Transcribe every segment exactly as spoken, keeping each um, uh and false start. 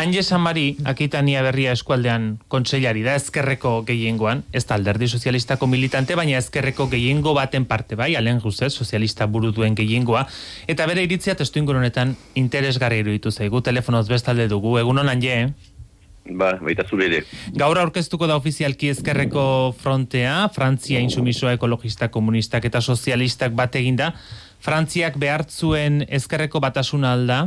Anje Samari, Akitania Berria eskualdean kontseilari da, ezkerreko gehiengoan, ez da alderdi sozialistako militante, baina ezkerreko gehiengo baten parte bai, alen guzez, sozialista buru duen gehiengoa, eta bere iritzia testuingur honetan interesgarri iruditu zaigu, telefonoz bestalde dugu, egunon Anje, eh? Ba, baita zure ere. Gaur aurkeztuko da ofizialki ezkerreko frontea, Frantzia insumisoa ekologista, komunistak eta sozialistak bat eginda. Frantziak behartzuen ezkerreko batasuna alda?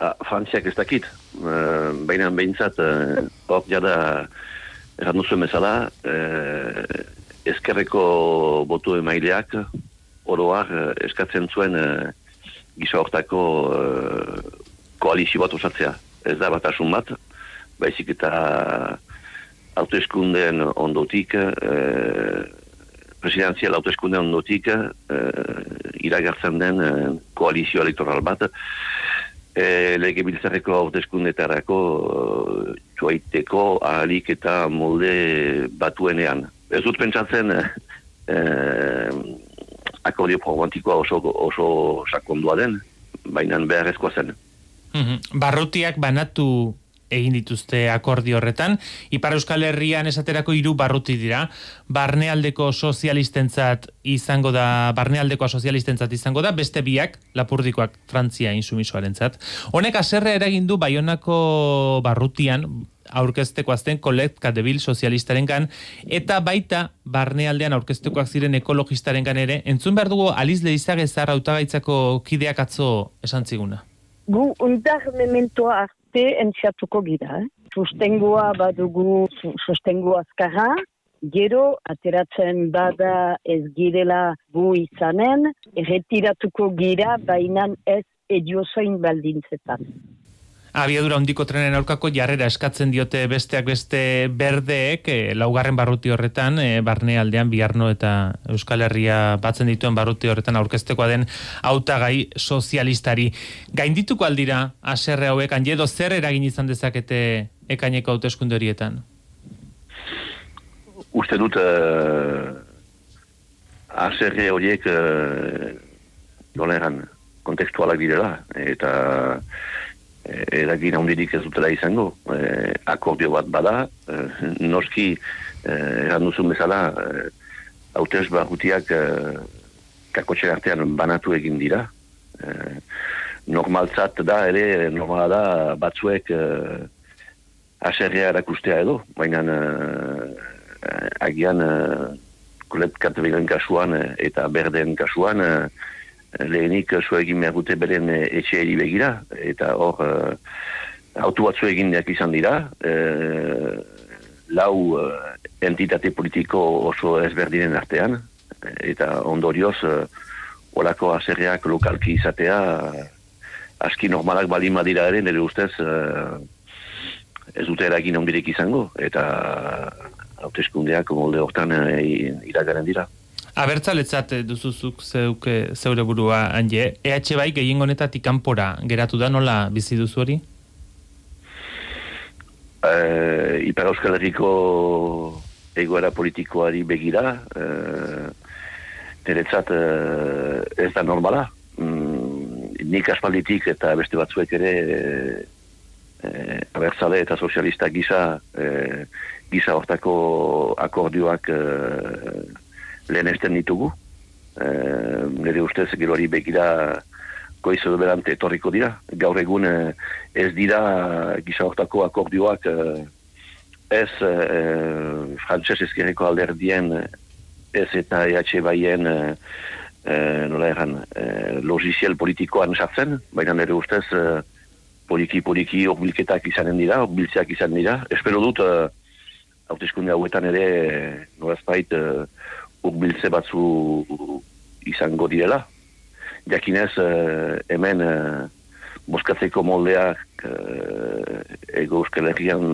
Ah, Frantziak ez dakit. Uh, Baina behintzat, uh, hor jada erran duzuen bezala, uh, ezkerreko botu emaileak oroar uh, eskatzen zuen uh, gisa hortako uh, koalizio bat osatzea. Ez da batasun bat, baizik eta hauteskundeen ondotik, eh, presidenzial hauteskundeen ondotik, eh, iragartzen den eh, koalizio elektoral bat, eh, legebiltzarreko hauteskundetarako eh, joaiteko ahalik eta molde batuenean. Ez dut pentsatzen eh, akordio pragmatikoa oso, oso sakondua den, baina beharrezkoa zen. Mm-hmm. Barrutiak banatu egin dituzte akordio horretan. Ipar Euskal Herrian esaterako hiru barruti dira. Barnealdeko sozialistentzat izango da, barnealdekoa sozialistentzat izango da, beste biak, Lapurdikoak Frantzia insumisoarentzat. Honek haserre eragin du Baionako barrutian aurkezteko azten Colette Debil sozialistarengan eta baita barnealdean aurkeztekoak ziren ekologistarengan ere. Entzun behar dugu Aliz Leizagezar hautagaitzako kideak atzo esan ziguna. Gu undar mementoa arte entziatuko gira. Eh? Sustengoa badugu, sustengo azkarra, gero ateratzen bada ez girela gu izanen, erretiratuko gira, baina ez ediozoin baldintzetan. Abiadura handiko trenen aurkako jarrera eskatzen diote besteak beste berdeek, e, laugarren barruti horretan, e, barnealdean Biarno eta Euskal Herria batzen dituen barruti horretan aurkeztekoa den hautagai sozialistari. Gaindituko aldira haserre hauek, Anjedo, zer eragin izan dezakete ekaineko hauteskunde horietan? Uste dut haserre uh, horiek uh, doleran kontekstualak direla, eta eragin handirik ez dutela izango. Eh, akordio bat bada, eh, noski eh, eran duzun bezala eh, hautez barrutiak eh, kakotxe artean banatu egin dira. Eh, normaltzat da, ere normala da batzuek eh, haserrea erakustea edo, baina eh, agian eh, Colette Debilen kasuan eh, eta Berdeen kasuan eh, lehenik zu egin behar dute beren etxeeri begira, eta hor uh, autu batzu eginak izan dira, uh, lau uh, entitate politiko oso ezberdinen artean, eta ondorioz uh, olako haserreak lokalki izatea uh, aski normalak balima dira ere, nire ustez uh, ez dute eragin ondirek izango, eta hauteskundeak molde hortan uh, iragaren dira. Abertzaletzat duzuzuk zeuke, zeure burua, Anje. E H bai gehiengo honetatik kanpora geratu da, nola bizi duzu hori? Uh, Ipar Euskal Herriko egoera politikoari begira, uh, niretzat uh, ez da normala. Mm, nik aspalditik eta beste batzuek ere uh, abertzale eta sozialista gisa, uh, gisa hortako akordioak uh, lehenesten ditugu. E, nire ustez gero hori begira goiz edo berante etorriko dira. Gaur egun ez dira gisa hortako akordioak ez e, frantses ezkerreko alderdien ez eta E H baien e, nola erran e, logiziel politikoan sartzen, baina nire ustez e, poliki-poliki horbilketak izanen dira, horbiltzeak izan dira. Espero dut hauteskunde hauetan ere norazpait e, urbiltze batzu izango direla. Jakinez, eh, hemen eh, boskatzeko moldeak eh, ego Euskal Herrian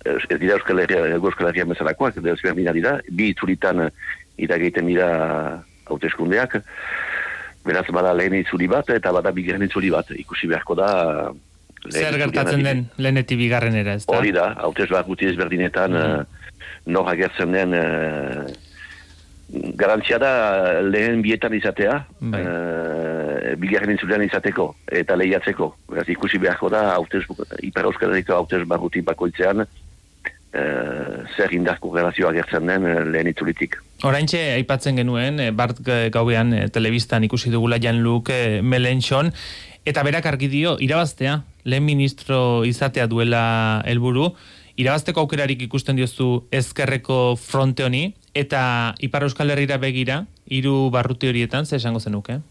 ez dira Euskal Herrian, ego Euskal Herrian bezalakoak, desberdina dira, bi itzuritan irageiten dira hauteskundeak, beraz bada lehen itzuri bat eta bada bigarren itzuri bat, ikusi beharko da zer gertatzen den lehenetik bigarrenera, ez da? Hori da, hautez bat guti ezberdinetan mm-hmm. nor agertzen den uh, garantzia da lehen bietan izatea, uh, bigarren intzulean izateko eta lehiatzeko. Beraz, ikusi beharko da, hautez, Ipar Euskal Herriko hautez barruti bakoitzean, Uh, zer indarko relazioa gertzen den uh, lehen itzulitik. Oraintxe aipatzen genuen, Bart gauean eh, telebistan ikusi dugula Jean-Luc eh, Mélenchon, eta berak argi dio, irabaztea, lehen ministro izatea duela helburu, irabazteko aukerarik ikusten diozu ezkerreko fronte honi, eta Ipar Euskal Herrira begira, hiru barruti horietan, ze esango zenuke?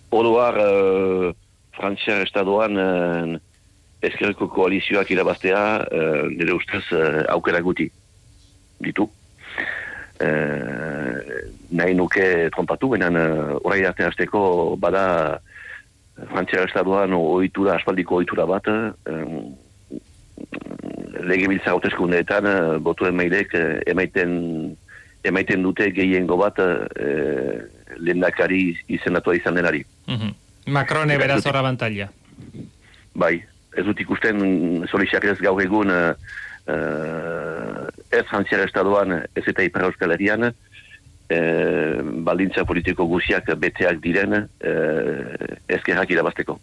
Oroar, uh, Frantziar Estadoan uh, ezkerreko koalizioak irabaztea uh, nire ustez uh, aukera guti ditu. Uh, nahi nuke trompatu, benen uh, orai arte hasteko bada Frantziar Estadoan ohitura, aspaldiko ohitura bat, um, legebiltzar hauteskundeetan uh, botuen mailek uh, emaiten, emaiten dute gehiengo bat uh, lehendakari izendatua izan denari. Mm-hmm. Macrone beraz horra bantalla. Bai. Ez dut ikusten Solixak ez gaur egun uh, uh, ez Frantziar Estadoan ez eta Ipar Euskal Herrian uh, baldintza politiko guziak beteak diren uh, ezkerrak irabazteko.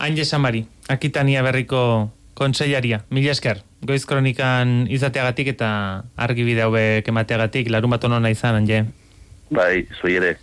Aine Samari, Akitania Berriko kontseilaria, mila esker, Goiz Kronikan izateagatik eta argibide hauek emateagatik, larun bat onona izan, Anje. Bai, zoi ere.